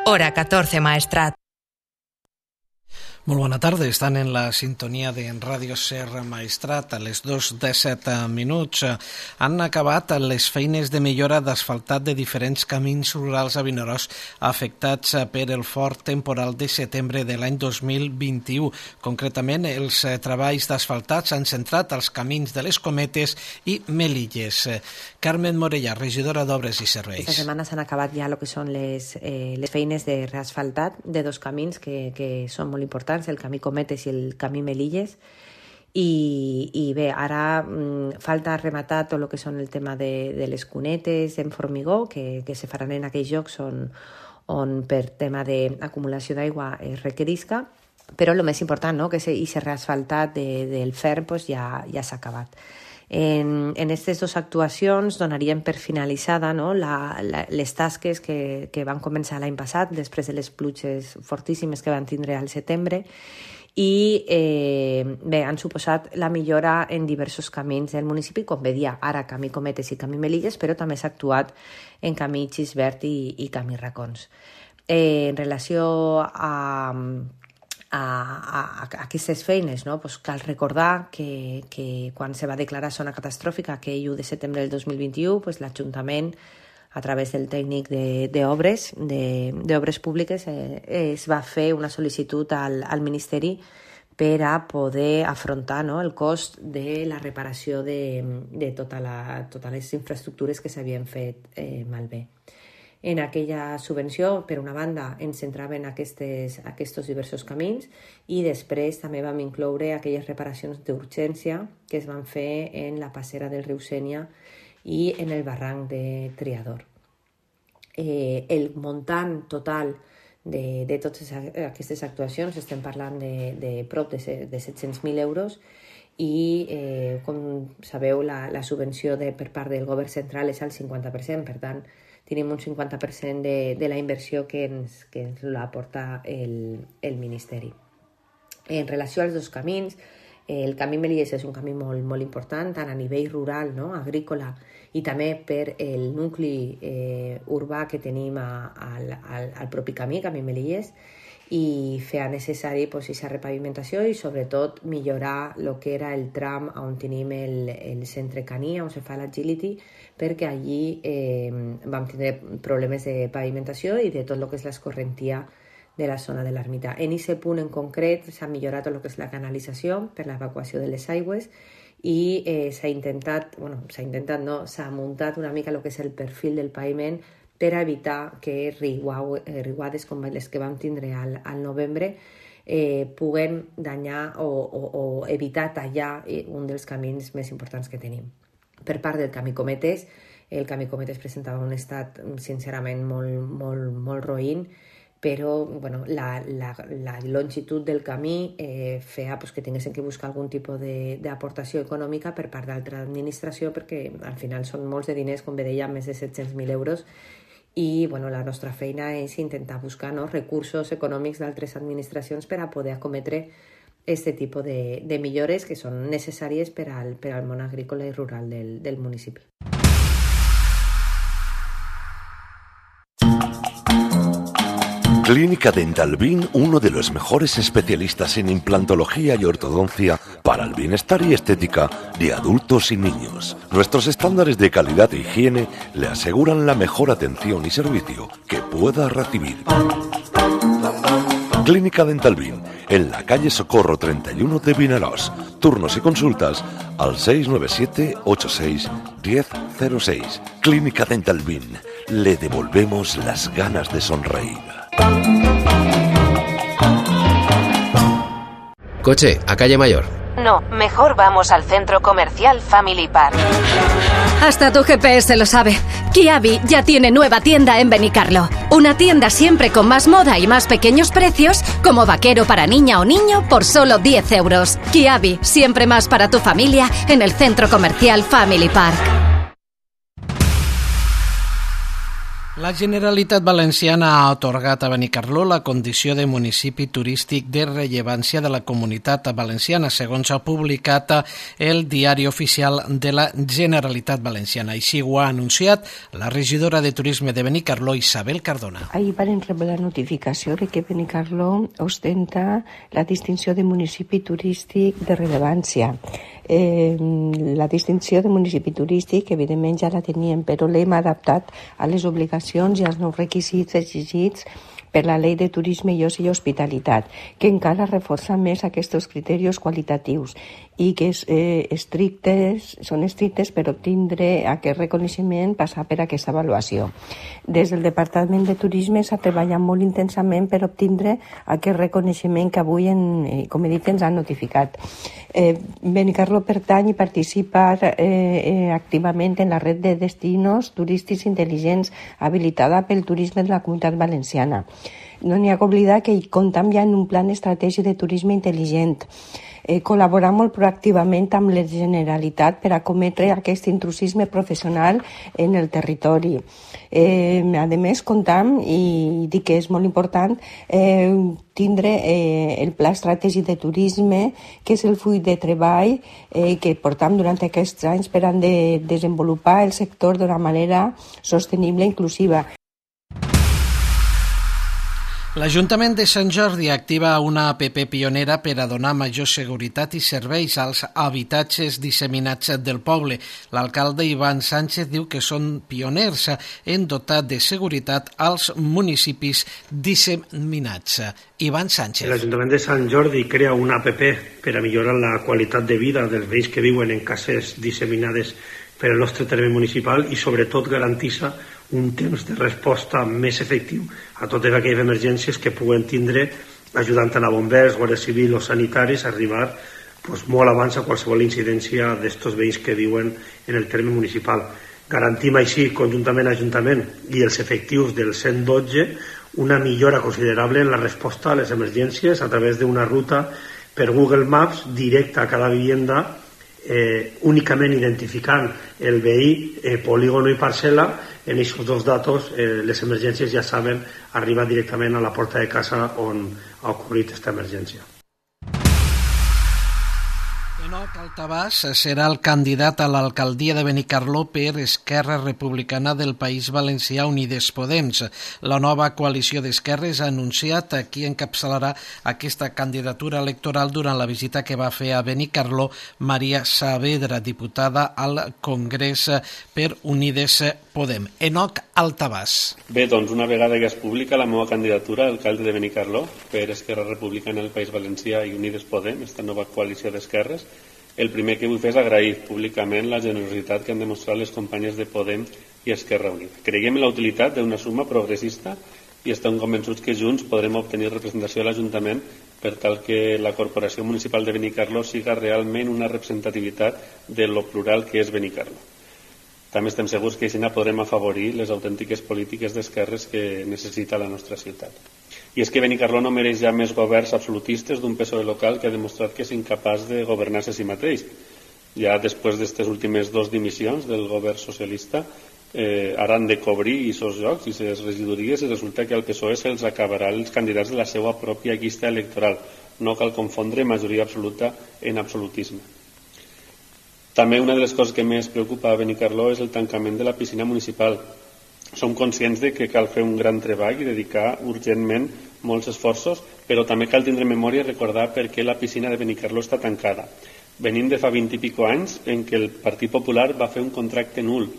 Hora 14 Maestrat. Molt bona tarda, estan en la sintonia de Ràdio Serra Maestrat a les 2:17. Han acabat les feines de millora d'asfaltat de diferents camins rurals a Vinaròs afectats per el fort temporal de setembre de l'any 2021. Concretament, els treballs d'asfaltat s'han centrat als camins de les Cometes i Melilles. Carmen Morellà, regidora d'Obres i Serveis. Esta setmana s'han acabat ja el que són les feines de reasfaltat de dos camins que són molt importants, el camí Cometes i el camí Melilles, i bé, ara falta rematar tot el que són el tema de les cunetes en formigó que se faran en aquells llocs on per tema d'acumulació d'aigua es requerisca, però el més important, no?, que aquest reasfaltat del ferm ja s'ha acabat. En aquestes dues actuacions donaríem per finalitzada, no?, les tasques que van començar l'any passat després de les pluges fortíssimes que van tindre al setembre i bé, han suposat la millora en diversos camins del municipi, com veia ara camí Cometes i camí Melilles, però també s'ha actuat en camí Xisbert i camí Racons. En relació a aquestes feines, no? Pues cal recordar que quan se va declarar zona catastròfica aquell 1 de setembre del 2021, pues l'Ajuntament, a través del tècnic d'obres públiques, es va fer una sol·licitud al Ministeri per a poder afrontar, no?, el cost de la reparació de totes les infraestructures que s'havien fet malbé. En aquella subvenció, per una banda, ens centraven aquests diversos camins i després també vam incloure aquelles reparacions d'urgència que es van fer en la passera del riu Sénia i en el barranc de Triador. El muntant total de totes aquestes actuacions, estem parlant de prop de 700.000 euros, i com sabeu la subvenció per part del govern central és al 50%, per tant tenim un 50% de la inversió que ens l'aporta el Ministeri. En relació als dos camins, el camí Melilles és un camí molt, molt important, tant a nivell rural, no?, agrícola, i també per el nucli urbà que tenim al propi camí Melilles, i feia necessari aquesta repavimentació i sobretot millorar el que era el tram on tenim el centre caní, on se fa l'agility, perquè allí vam tenir problemes de pavimentació i de tot el que és l'escorrentia de la zona de l'ermita. En aquest punt en concret s'ha millorat tot el que és la canalització per l'evacuació de les aigües i s'ha muntat una mica el que és el perfil del paviment per evitar que riuades com les que vam tindre al novembre puguen danyar o evitar tallar un dels camins més importants que tenim. Per part del camí Cometes, el camí Cometes presentava un estat sincerament molt roïn, però la longitud del camí feia que tinguessin que buscar algun tipus d'aportació econòmica per part d'altra administració, perquè al final són molts de diners, com bé deia, més de 700.000 euros, i la nostra feina és intentar buscar recursos econòmics d'altres administracions per a poder acometre aquest tipus de millores que són necessàries per al món agrícola i rural del municipi. Clínica Dental Bin, uno de los mejores especialistas en implantología y ortodoncia para el bienestar y estética de adultos y niños. Nuestros estándares de calidad e higiene le aseguran la mejor atención y servicio que pueda recibir. Clínica Dental Bin, en la calle Socorro 31 de Vinaròs. Turnos y consultas al 697 86 1006. Clínica Dental Bin, le devolvemos las ganas de sonreír. Coche, a calle Mayor. No, mejor vamos al centro comercial Family Park. Hasta tu GPS lo sabe. Kiabi ya tiene nueva tienda en Benicarlo. Una tienda siempre con más moda y más pequeños precios, como vaquero para niña o niño por solo 10 euros. Kiabi, siempre más para tu familia en el centro comercial Family Park. La Generalitat Valenciana ha atorgat a Benicarló la condició de municipi turístic de rellevància de la Comunitat Valenciana, segons ha publicat el Diari Oficial de la Generalitat Valenciana. Així ho ha anunciat la regidora de Turisme de Benicarló, Isabel Cardona. Ahir van rebre la notificació de que Benicarló ostenta la distinció de municipi turístic de rellevància. La distinció de municipi turístic, evidentment, ja la teníem, però l'hem adaptat a les obligacions i als nous requisits exigits per la Llei de Turisme i Oci i Hospitalitat, que encara reforça més aquests criteris qualitatius i que són estrictes per obtindre aquest reconeixement, passar per aquesta avaluació. Des del Departament de Turisme s'ha treballat molt intensament per obtindre aquest reconeixement que avui, com he dit, ens han notificat. Benicarló pertany i participa activament en la red de destinos turístics intel·ligents habilitada pel turisme de la Comunitat Valenciana. No n'hi ha que oblidar que hi comptem ja en un plan estratègic de turisme intel·ligent. Col·laborar molt proactivament amb la Generalitat per acometre aquest intrusisme professional en el territori. A més, comptam, i dic que és molt important, tindre el Pla Estratègic de Turisme, que és el full de treball que portam durant aquests anys per a desenvolupar el sector d'una manera sostenible i inclusiva. L'Ajuntament de Sant Jordi activa una app pionera per a donar major seguretat i serveis als habitatges disseminats del poble. L'alcalde Ivan Sánchez diu que són pioners en dotar de seguretat als municipis disseminats. Ivan Sánchez. L'Ajuntament de Sant Jordi crea una app per a millorar la qualitat de vida dels veïns que viuen en cases disseminades per al nostre terme municipal i sobretot garantissa un temps de resposta més efectiu a totes aquelles emergències que puguen tindre, ajudant a bombers, guàrdia civil o sanitaris a arribar molt abans a qualsevol incidència d'estos veïns que viuen en el terme municipal. Garantim així, conjuntament a l'Ajuntament i els efectius del 112, una millora considerable en la resposta a les emergències a través d'una ruta per Google Maps directa a cada vivienda, únicament identificant el veí, polígono i parcel·la. En aquests dos datos les emergències ja saben arribar directament a la porta de casa on ha ocorrit aquesta emergència. Enoc Altabàs serà el candidat a l'alcaldia de Benicarló per Esquerra Republicana del País Valencià Unides Podem. La nova coalició d'esquerres ha anunciat a qui encapçalarà aquesta candidatura electoral durant la visita que va fer a Benicarló Maria Saavedra, diputada al Congrés per Unides Podem. Enoc Altabàs. Bé, doncs una vegada que es publica la meva candidatura a alcalde de Benicarló per Esquerra Republicana del País Valencià i Unides Podem, esta nova coalició d'esquerres, el primer que vull fer és agrair públicament la generositat que han demostrat les companyes de Podem i Esquerra Unida. Creiem en la utilitat d'una suma progressista i estem convençuts que junts podrem obtenir representació a l'Ajuntament per tal que la Corporació Municipal de Benicarló siga realment una representativitat de lo plural que és Benicarló. També estem segurs que així podrem afavorir les autèntiques polítiques d'esquerres que necessita la nostra ciutat. I és que Benicarló no mereix ja més governs absolutistes d'un PSOE local que ha demostrat que és incapaç de governar-se a si mateix. Ja després d'aquestes últimes 2 dimissions del govern socialista ara han de cobrir aquests llocs i les regidories i resulta que al PSOE se'ls acabarà els candidats de la seva pròpia llista electoral. No cal confondre majoria absoluta en absolutisme. També una de les coses que més preocupa a Benicarló és el tancament de la piscina municipal. Som conscients de que cal fer un gran treball i dedicar urgentment molts esforços, però també cal tindre memòria i recordar per què la piscina de Benicarló està tancada. Venim de fa 20 i pico anys en què el Partit Popular va fer un contracte nul,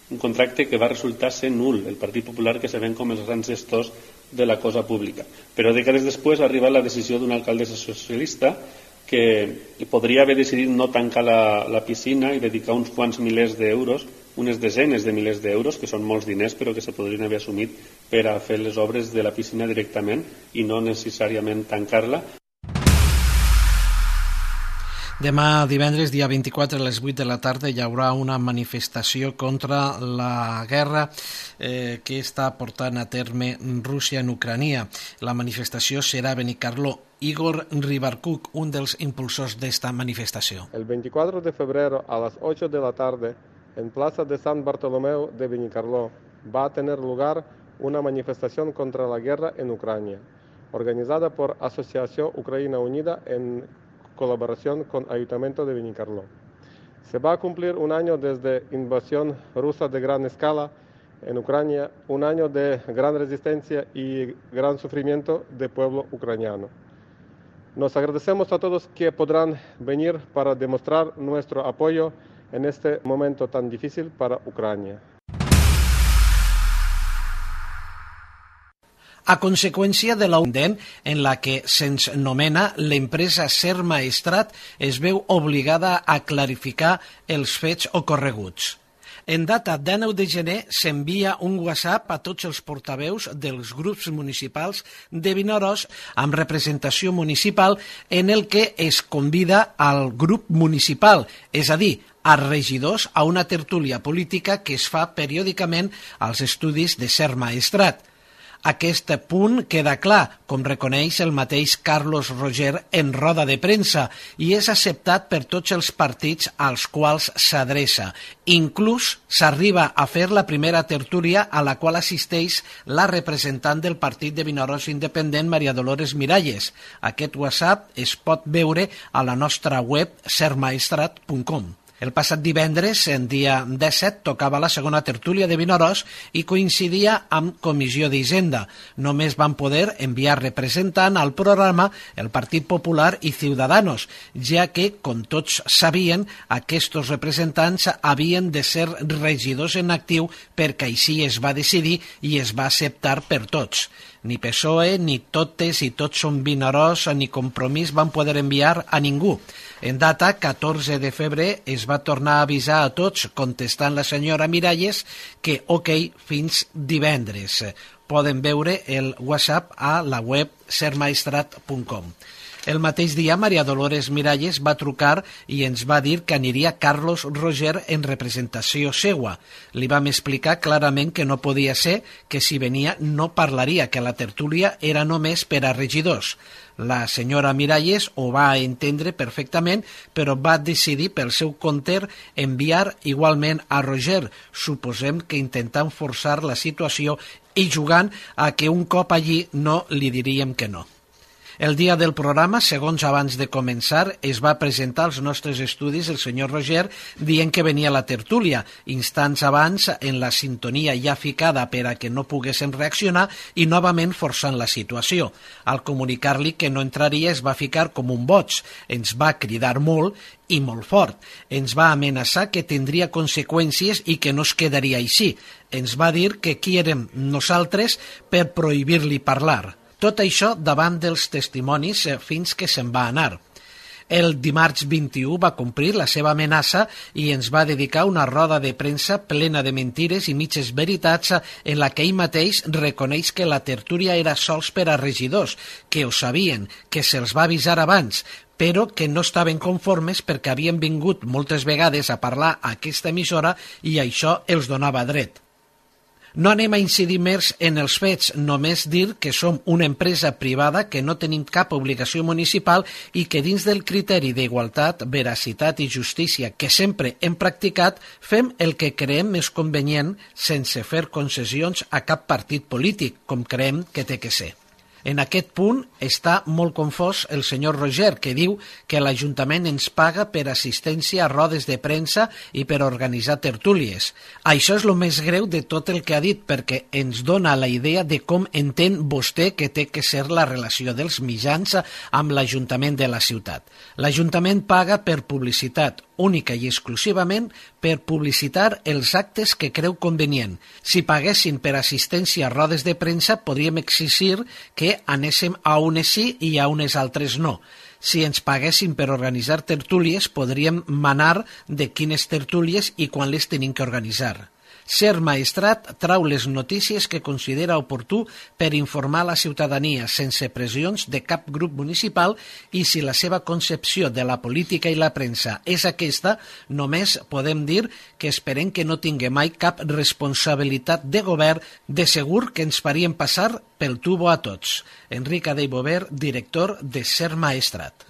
un contracte que va resultar ser nul, el Partit Popular que se ven com els grans gestors de la cosa pública. Però dècades després ha arribat la decisió d'un alcalde socialista que podria haver decidit no tancar la piscina i dedicar uns quants milers d'euros, unes desenes de milers d'euros, que són molts diners però que se podrien haver assumit per a fer les obres de la piscina directament i no necessàriament tancar-la. Demà divendres, dia 24 a les 8 de la tarda, hi haurà una manifestació contra la guerra que està portant a terme Rússia en Ucrania. La manifestació serà a Benicarló. Igor Ribarcuc, un dels impulsors d'esta manifestació. El 24 de febrero a las 8 de la tarde, en Plaza de San Bartolomeu de Benicarló, va a tener lugar una manifestación contra la guerra en Ucrania, organizada por Asociación Ucrania Unida en colaboración con Ayuntamiento de Benicarló. Se va a cumplir un año desde la invasión rusa de gran escala en Ucrania, un año de gran resistencia y gran sufrimiento del pueblo ucraniano. Nos agradecemos a todos que podrán venir para demostrar nuestro apoyo en este momento tan difícil para Ucrania. A conseqüència de l'augment en la que se'ns nomena, l'empresa Ser Maestrat es veu obligada a clarificar els fets ocorreguts. En data 19 de gener s'envia un WhatsApp a tots els portaveus dels grups municipals de Vinaròs amb representació municipal en el que es convida al grup municipal, és a dir, a regidors a una tertúlia política que es fa periòdicament als estudis de Ser Maestrat. Aquest punt queda clar, com reconeix el mateix Carlos Roger en roda de premsa, i és acceptat per tots els partits als quals s'adreça. Inclús s'arriba a fer la primera tertúlia a la qual assisteix la representant del partit de Vinaròs independent, Maria Dolores Miralles. Aquest WhatsApp es pot veure a la nostra web sermaestrat.com. El passat divendres, en dia 17, tocava la segona tertúlia de Vinaròs i coincidia amb Comissió d'Hisenda. Només van poder enviar representant al programa el Partit Popular i Ciudadanos, ja que, com tots sabien, aquests representants havien de ser regidors en actiu perquè així es va decidir i es va acceptar per tots. Ni PSOE, ni Totes i Tots som Vinaròs, ni Compromís van poder enviar a ningú. En data 14 de febrer es va tornar a avisar a tots, contestant la senyora Miralles, que ok, fins divendres. Poden veure el WhatsApp a la web sermaestrat.com. El mateix dia, Maria Dolores Miralles va trucar i ens va dir que aniria Carlos Roger en representació seua. Li vam explicar clarament que no podia ser, que si venia no parlaria, que la tertúlia era només per a regidors. La senyora Miralles ho va entendre perfectament, però va decidir pel seu compte enviar igualment a Roger, suposem que intentant forçar la situació i jugant a que un cop allí no li diríem que no. El dia del programa, segons abans de començar, es va presentar als nostres estudis el senyor Roger dient que venia la tertúlia, instants abans en la sintonia ja ficada per a que no poguéssim reaccionar i novament forçant la situació. Al comunicar-li que no entraria es va ficar com un boig, ens va cridar molt i molt fort. Ens va amenaçar que tindria conseqüències i que no es quedaria així. Ens va dir que qui érem nosaltres per prohibir-li parlar. Tot això davant dels testimonis fins que se'n va anar. El dimarts 21 va complir la seva amenaça i ens va dedicar una roda de premsa plena de mentires i mitges veritats en la que ell mateix reconeix que la tertúlia era sols per a regidors, que ho sabien, que se'ls va avisar abans, però que no estaven conformes perquè havien vingut moltes vegades a parlar a aquesta emissora i això els donava dret. No anem a incidir més en els fets, només dir que som una empresa privada que no tenim cap obligació municipal i que dins del criteri d'igualtat, veracitat i justícia que sempre hem practicat, fem el que creiem més convenient sense fer concessions a cap partit polític, com creiem que té que ser. En aquest punt està molt confós el senyor Roger, que diu que l'Ajuntament ens paga per assistència a rodes de premsa i per organitzar tertúlies. Això és el més greu de tot el que ha dit, perquè ens dona la idea de com entén vostè que té que ser la relació dels mitjans amb l'Ajuntament de la ciutat. L'Ajuntament paga per publicitat, única i exclusivament per publicitar els actes que creu convenient. Si paguessin per assistència a rodes de premsa, podríem exigir que anéssim a unes sí i a unes altres no. Si ens paguessin per organitzar tertúlies, podríem manar de quines tertúlies i quan les tenim que organitzar. Ser Maestrat trau les notícies que considera oportú per informar la ciutadania sense pressions de cap grup municipal i si la seva concepció de la política i la premsa és aquesta, només podem dir que esperem que no tingui mai cap responsabilitat de govern, de segur que ens farien passar pel tubo a tots. Enric Adey Bover, director de Ser Maestrat.